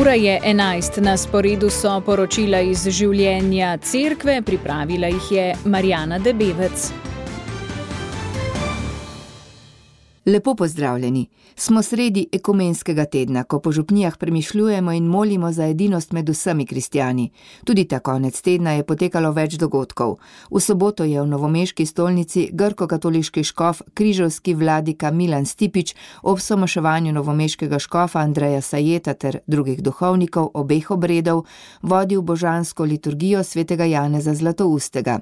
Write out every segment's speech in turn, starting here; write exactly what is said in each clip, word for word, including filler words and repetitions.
Ura je enajst, na sporedu so poročila iz življenja cerkve, pripravila jih je Marjana Debevec. Lepo pozdravljeni. Smo sredi ekumenskega tedna, ko po župnijah premišljujemo in molimo za edinost med vsemi kristjani. Tudi ta konec tedna je potekalo več dogodkov. V soboto je v novomeški stolnici grko-katoliški škof, križevski vladika Milan Stipič ob somaševanju novomeškega škofa Andreja Sajeta ter drugih duhovnikov obeh obredov vodil božansko liturgijo svetega Janeza Zlatoustega.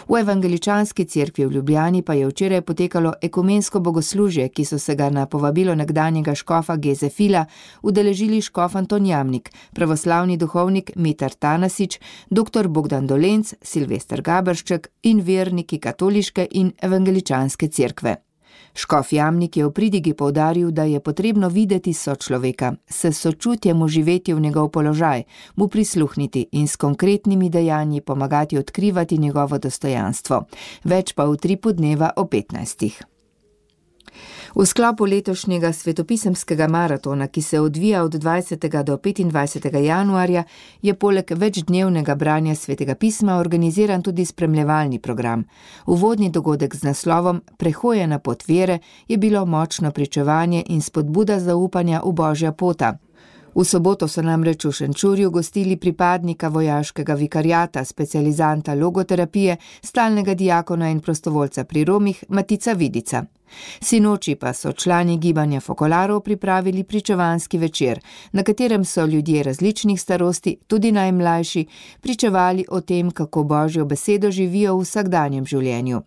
V evangeličanski cerkvi v Ljubljani pa je včeraj potekalo ekumensko bogoslužje, ki so se ga na povabilo nekdanjega škofa Geze Fila udeležili škof Anton Jamnik, pravoslavni duhovnik Mitar Tanasič, doktor Bogdan Dolenc, Silvester Gabršček in verniki katoliške in evangeličanske cerkve. Škof Jamnik je v pridigi poudaril, da je potrebno videti sočloveka, se sočutjem uživeti v njegov položaj, mu prisluhniti in s konkretnimi dejanji pomagati odkrivati njegovo dostojanstvo. Več pa v tripu dneva o petnajstih. V sklopu letošnjega svetopisemskega maratona, ki se odvija od dvajsetega do petindvajsetega januarja, je poleg večdnevnega branja svetega pisma organiziran tudi spremljevalni program. Uvodni dogodek z naslovom Prehoje na pot vere je bilo močno pričevanje in spodbuda zaupanja v Božja pota. V soboto so namreč v Šenčurju gostili pripadnika vojaškega vikariata, specializanta logoterapije, stalnega diakona in prostovoljca pri Romih Matica Vidica. Sinoči pa so člani gibanja Fokolarov pripravili pričevanski večer, na katerem so ljudje različnih starosti, tudi najmlajši, pričevali o tem, kako Božjo besedo živijo v vsakdanjem življenju.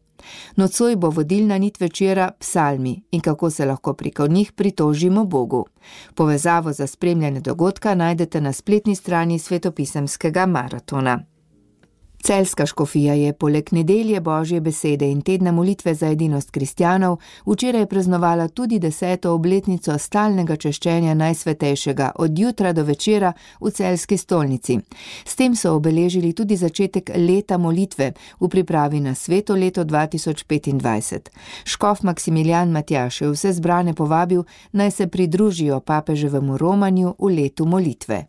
Nocoj bo vodilna nit večera psalmi in kako se lahko preko njih pritožimo Bogu. Povezavo za spremljanje dogodka najdete na spletni strani svetopisemskega maratona. Celjska škofija je poleg nedelje Božje besede in tedna molitve za edinost kristjanov včeraj praznovala tudi deseto obletnico stalnega češčenja Najsvetejšega od jutra do večera v celjski stolnici. S tem so obeležili tudi začetek leta molitve v pripravi na sveto leto dva tisoč petindvajset. Škof Maksimilijan Matjaž je vse zbrane povabil, naj se pridružijo papeževemu romanju v letu molitve.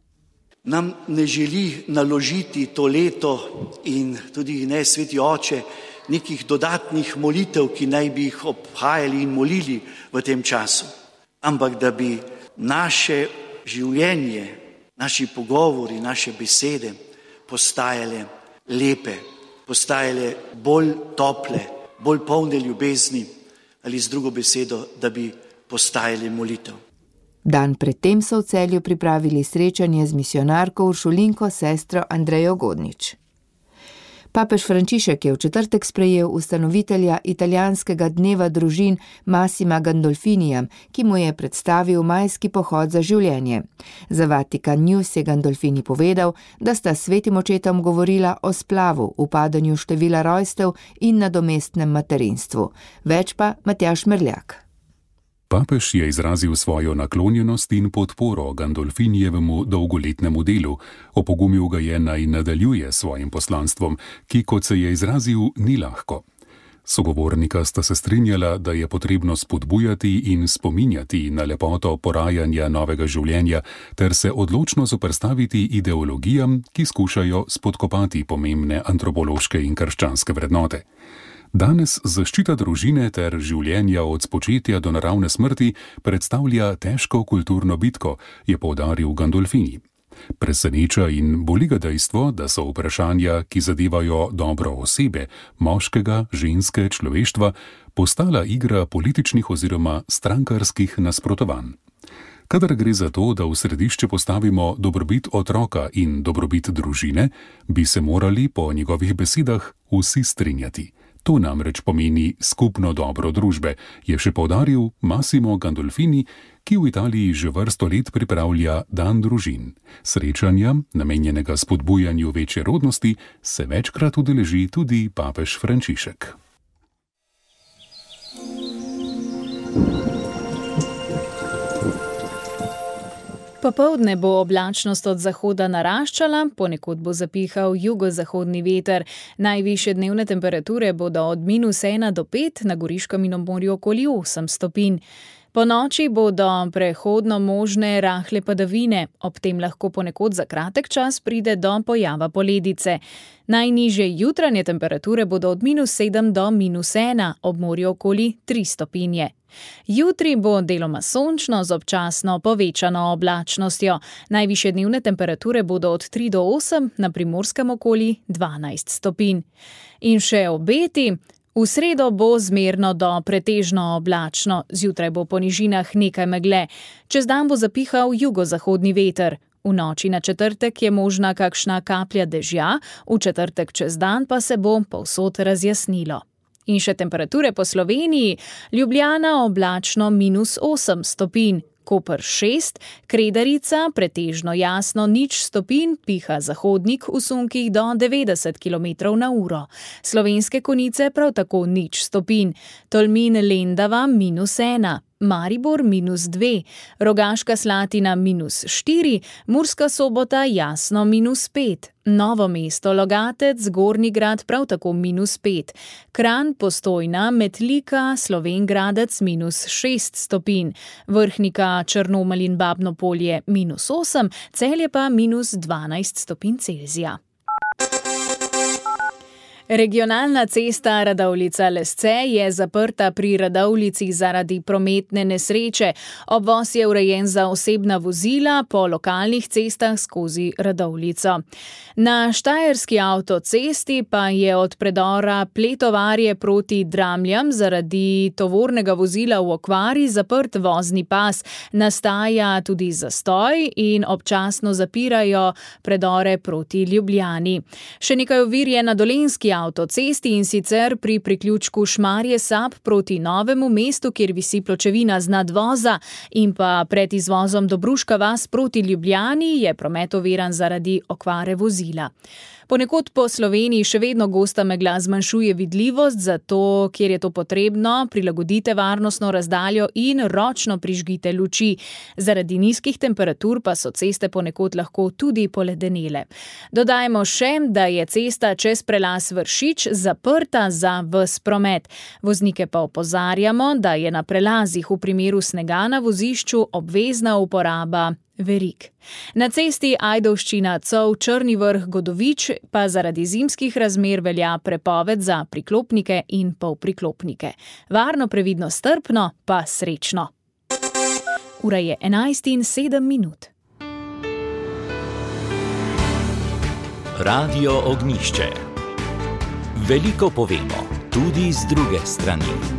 Nam ne želi naložiti to leto in tudi ne Sveti Oče nekih dodatnih molitev, ki naj bi jih obhajali in molili v tem času, ampak da bi naše življenje, naši pogovori, naše besede postajale lepe, postajale bolj tople, bolj polne ljubezni ali z drugo besedo, da bi postajale molitev. Dan predtem so v Celju pripravili srečanje z misijonarko Uršulinko sestro Andrejo Godnič. Papež Frančišek je v četrtek sprejel ustanovitelja italijanskega dneva družin Massima Gandolfinija, ki mu je predstavil majski pohod za življenje. Za Vatikan News je Gandolfini povedal, da sta svetim očetom govorila o splavu, upadanju števila rojstev in nadomestnem materinstvu. Več pa Matjaž Merljak. Papež je izrazil svojo naklonjenost in podporo Gandolfinijevemu dolgoletnemu delu, opogumil ga je naj nadaljuje svojim poslanstvom, ki, kot se je izrazil, ni lahko. Sogovornika sta se strinjala, da je potrebno spodbujati in spominjati na lepoto porajanja novega življenja ter se odločno zoperstaviti ideologijam, ki skušajo spodkopati pomembne antropološke in krščanske vrednote. Danes zaščita družine ter življenja od spočetja do naravne smrti predstavlja težko kulturno bitko, je poudaril Gandolfini. Preseneča in boli ga dejstvo, da so vprašanja, ki zadevajo dobro osebe, moškega, ženske, človeštva, postala igra političnih oziroma strankarskih nasprotovanj. Kadar gre za to, da v središče postavimo dobrobit otroka in dobrobit družine, bi se morali po njegovih besedah vsi strinjati. To namreč pomeni skupno dobro družbe, je še poudaril Massimo Gandolfini, ki v Italiji že vrsto let pripravlja Dan družin. Srečanja, namenjenega spodbujanju večje rodnosti, se večkrat udeleži tudi papež Frančišek. Popoldne bo oblačnost od zahoda naraščala, ponekod bo zapihal jugozahodni veter. Najvišje dnevne temperature bodo od minus ena do pet, na Goriškem in ob morju okoli osem stopinj. Po noči bodo prehodno možne rahle padavine, ob tem lahko ponekod za kratek čas pride do pojava poledice. Najnižje jutranje temperature bodo od minus sedem do minus ena, ob morju okoli tri stopinje. Jutri bo deloma sončno z občasno povečano oblačnostjo. Najvišje dnevne temperature bodo od tri do osem, na Primorskem okoli dvanajst stopinj. In še obeti. V sredo bo zmerno do pretežno oblačno, zjutraj bo po nižinah nekaj megle. Čez dan bo zapihal jugozahodni veter. V noči na četrtek je možna kakšna kaplja dežja, v četrtek čez dan pa se bo povsod razjasnilo. In še temperature po Sloveniji. Ljubljana oblačno minus osem stopinj, Koper šest, Kredarica pretežno jasno nič stopinj, piha zahodnik v sunkih do devetdeset kilometrov na uro. Slovenske Konjice prav tako nič stopinj, Tolmin Lendava minus ena. Maribor minus dve, Rogaška Slatina minus štiri, Murska Sobota jasno minus pet, Novo mesto Logatec, Gornji Grad prav tako minus pet, Kranj, Postojna, Metlika, Slovenj Gradec minus šest stopinj, Vrhnika, Črnomelj in Babno Polje minus osem, Celje pa minus dvanajst stopinj Celzija. Regionalna cesta Radovljica-Lesce je zaprta pri Radovljici zaradi prometne nesreče. Obvoz je urejen za osebna vozila po lokalnih cestah skozi Radovljico. Na štajerski avtocesti pa je od predora Pletovarje proti Dramljam zaradi tovornega vozila v okvari zaprt vozni pas. Nastaja tudi zastoj in občasno zapirajo predore proti Ljubljani. Še nekaj ovir je na Dolenjski avtocesti in sicer pri priključku Šmarje-Sap proti Novemu mestu, kjer visi pločevina z nadvoza, in pa pred izvozom Dobruška vas proti Ljubljani je promet oviran zaradi okvare vozila. Ponekod po Sloveniji še vedno gosta megla zmanjšuje vidljivost, zato, kjer je to potrebno, prilagodite varnostno razdaljo in ročno prižgite luči. Zaradi nizkih temperatur pa so ceste ponekod lahko tudi poledenele. Dodajmo še, da je cesta čez prelaz Vršič zaprta za ves promet. Voznike pa opozarjamo, da je na prelazih v primeru snega na vozišču obvezna uporaba verig. Na cesti Ajdovščina-Cov Črni Vrh-Godovič pa zaradi zimskih razmer velja prepoved za priklopnike in polpriklopnike. Varno, previdno, strpno, pa srečno. Ura je enajst in sedem minut. Radio Ognjišče. Veliko povemo, tudi z druge strani.